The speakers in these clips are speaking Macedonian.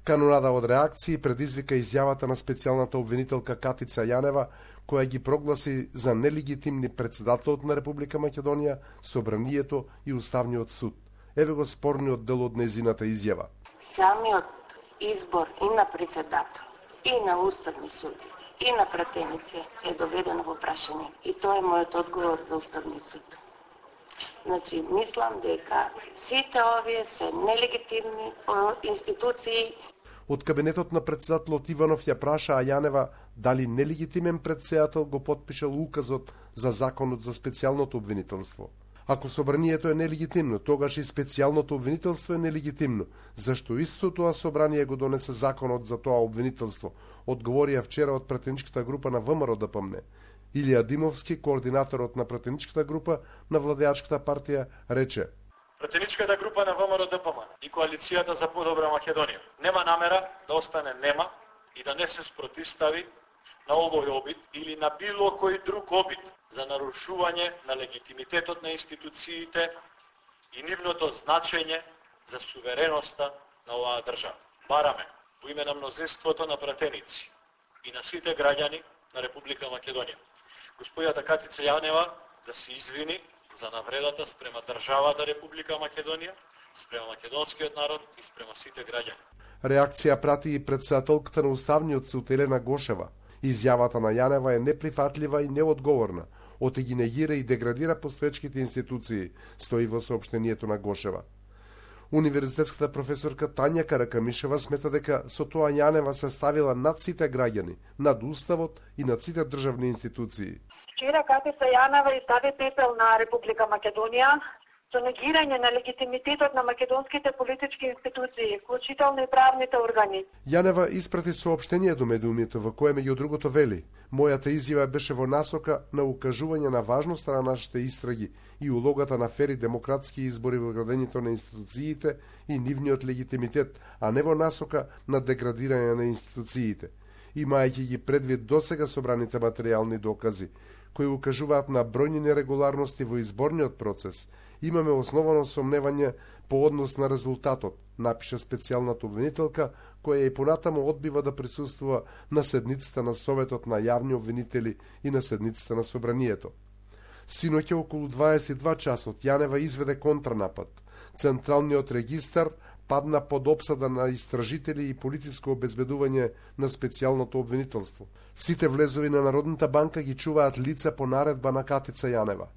Канонада од реакции предизвика изјавата на специјалната обвинителка Катица Јанева, која ги прогласи за нелегитимни председателот на Република Македонија, Собранието и Уставниот суд. Еве го спорниот дел од незината изјава. Самиот избор и на председател, и на Уставни суд, и на пратеници е доведено во прашање. И тоа е мојот одговор за Уставниот суд. Значи, мислам дека сите овие се нелегитимни институции. Од кабинетот на председателот Иванов ја праша Јанева дали нелегитимен председател го потпишал указот за законот за специјалното обвинителство. Ако собранието е нелегитимно, тогаш и специјалното обвинителство е нелегитимно. Зашто истото тоа собрание го донесе законот за тоа обвинителство, одговорија вчера од пратеничката група на ВМРО ДПМН. Илија Димовски, координаторот на пратеничката група на владеачката партија, рече: Пратеничката група на ВМРО ДПМН и коалицијата за подобра Македонија нема намера да остане нема и да не се спротивстави на овој обид или на било кој друг обид за нарушување на легитимитетот на институциите и нивното значење за сувереноста на оваа држава. Бараме во име на мнозинството на пратеници и на сите граѓани на Република Македонија господјата Катица Јанева да се извини за навредата спрема државата Република Македонија, спрема македонскиот народ и спрема сите граѓани. Реакција прати и председателката на Уставниот суд Елена Гошева. Изјавата на Јанева е неприфатлива и неодговорна, оти негира и деградира постоечките институции, стои во соопштението на Гошева. Универзитетската професорка Тања Каракамишева смета дека со тоа Јанева се ставила над сите граѓани, над уставот и над сите државни институции. Вчера Катица Јанева изстави пепел на Република Македонија со негирање на легитимитетот на македонските политички институции, вклучително и правните органи. Јанева испрати соопштение до медиумите во кое меѓу другото вели: Мојата изјава беше во насока на укажување на важноста на нашите истраги и улогата на фери демократски избори во градењето на институциите и нивниот легитимитет, а не во насока на деградирање на институциите. Имајќи ги предвид досега собраните материјални докази, кои укажуваат на бројни нерегуларности во изборниот процес, имаме основано сомневање по однос на резултатот, напиша специјалната обвинителка, која и понатамо одбива да присуствува на седницата на Советот на јавни обвинители и на седницата на Собранието. Синоќа околу 22 часот Јанева изведе контранапад. Централниот регистар падна под опсада на истражители и полициско обезбедување на специјалното обвинителство. Сите влезови на Народната банка ги чуваат лица по наредба на Катица Јанева.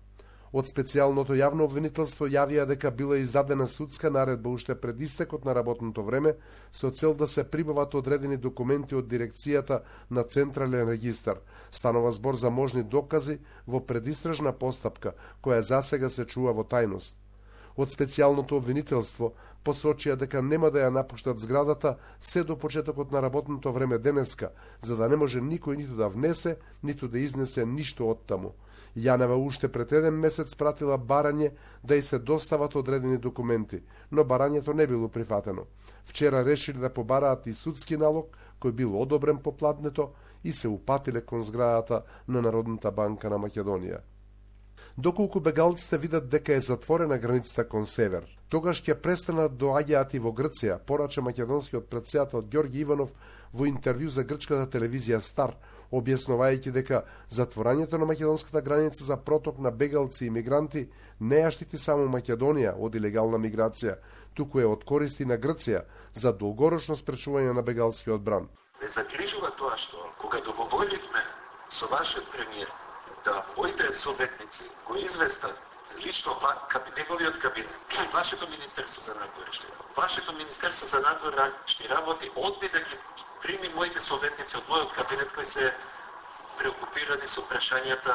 Од специјалното јавно обвинителство јавија дека била издадена судска наредба уште пред истекот на работното време со цел да се прибават одредени документи од дирекцијата на Централен регистар. Станува збор за можни докази во предистражна постапка, која засега се чува во тајност. Од специјалното обвинителство посочија дека нема да ја напуштат зградата се до почетокот на работното време денеска, за да не може никој ниту да внесе, ниту да изнесе ништо од таму. Јанева уште пред еден месец пратила барање да и се достават одредени документи, но барањето не било прифатено. Вчера решили да побараат и судски налог, кој бил одобрен по платнето и се упатиле кон зградата на Народната банка на Македонија. Доколку бегалците видат дека е затворена границата кон север, тогаш ќе престанат доаѓаат и во Грција, порача македонскиот председател Ѓорги Иванов во интервју за грчката телевизија Стар, објаснувајќи дека затворањето на македонската граница за проток на бегалци и мигранти не ја штити само Македонија од илегална миграција, туку е од користи на Грција за долгорочно спречување на бегалскиот бран. Ме загрижува тоа што кога договоривме со вашиот премиер да моите советници го известат лично неговиот кабинет, вашето Министерство за надворешни, вашето Министерство за надворешни работи одби да ги прими моите советници од мојот кабинет кои се преокупирани со прашањата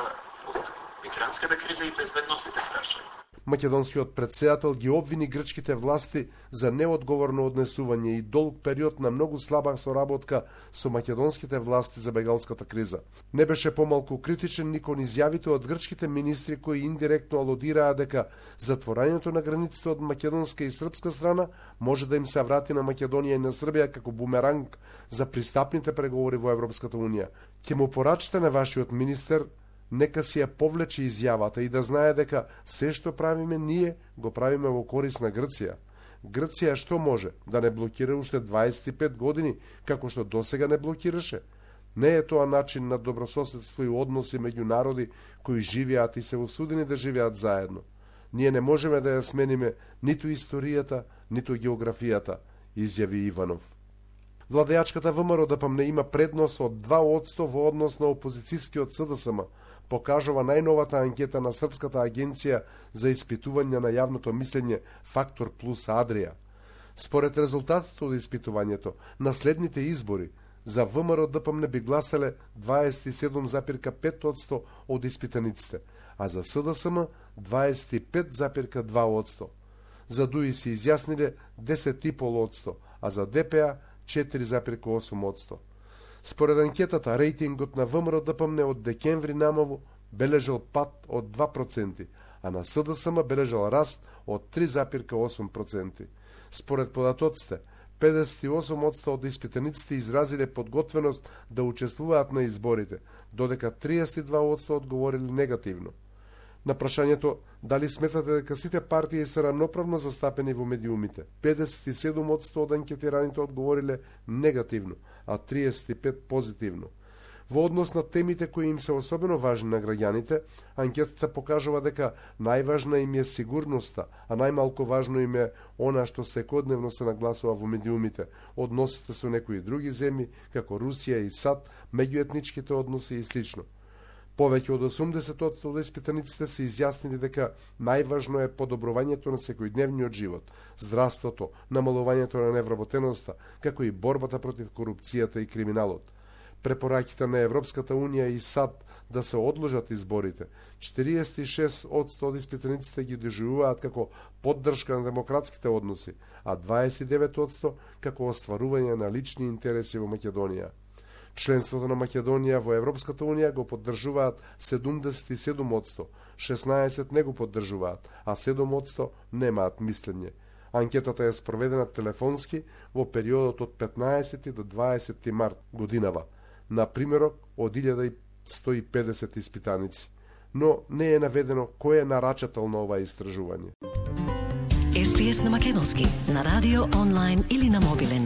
од мигрантската криза и безбедностите прашања. Македонскиот председател ги обвини грчките власти за неодговорно однесување и долг период на многу слаба соработка со македонските власти за бегалската криза. Не беше помалку критичен ни кон изјавите од грчките министри кои индиректно алудираа дека затворањето на границите од македонска и српска страна може да им се врати на Македонија и на Србија како бумеранг за пристапните преговори во Европската унија. Ќе му порачате на вашиот министер нека си ја повлече изјавата и да знае дека се што правиме ние, го правиме во корист на Грција. Грција што може да не блокира уште 25 години, како што досега не блокираше? Не е тоа начин на добрососедство и односи меѓу народи кои живеат и се осудени да живеат заедно. Ние не можеме да ја смениме ниту историјата, ниту географијата, изјави Иванов. Владеачката ВМРО ДПМН има предност од 2% во однос на опозицијскиот СДСМ, покажува најновата анкета на Српската агенција за испитување на јавното мислење Фактор Плюс Адрија. Според резултатите од испитувањето, на следните избори за ВМРО ДПМН би гласале 27,5% од испитаниците, а за СДСМ 25,2%. За ДУИ се изјасниле 10,5%, а за ДПА 4,8%. Според анкетата, рейтингот на ВМРО ДПМН од декември намалу бележал пад од 2%, а на СДСМ бележал раст од 3,8%. Според податоците, 58% од испитаниците изразиле подготвеност да учествуваат на изборите, додека 32% одговориле негативно. На прашањето дали сметате дека сите партии се равноправно застапени во медиумите, 57% од анкетираните одговориле негативно, а 35% позитивно. Во однос на темите кои им се особено важни на граѓаните, анкетата покажува дека најважна им е сигурноста, а најмалку важно им е она што секојдневно се нагласува во медиумите, односите со некои други земји, како Русија и САД, меѓуетничките односи и слично. Повеќе од 80% од испитаниците се изјаснили дека најважно е подобрувањето на секојдневниот живот, здравството, намалувањето на невработеноста, како и борбата против корупцијата и криминалот. Препораките на Европската Унија и САД да се одложат изборите, 46% од испитаниците ги доживуваат како поддршка на демократските односи, а 29% како остварување на лични интереси во Македонија. Членството на Македонија во Европската Унија го поддржуваат 77%, 16% не го поддржуваат, а 7% немаат мислење. Анкетата е спроведена телефонски во периодот од 15 до 20 март годинава, на примерок од 1150 испитаници, но не е наведено кој е нарачател на ова истражување. SBS на македонски, на радио, онлайн или на мобилен.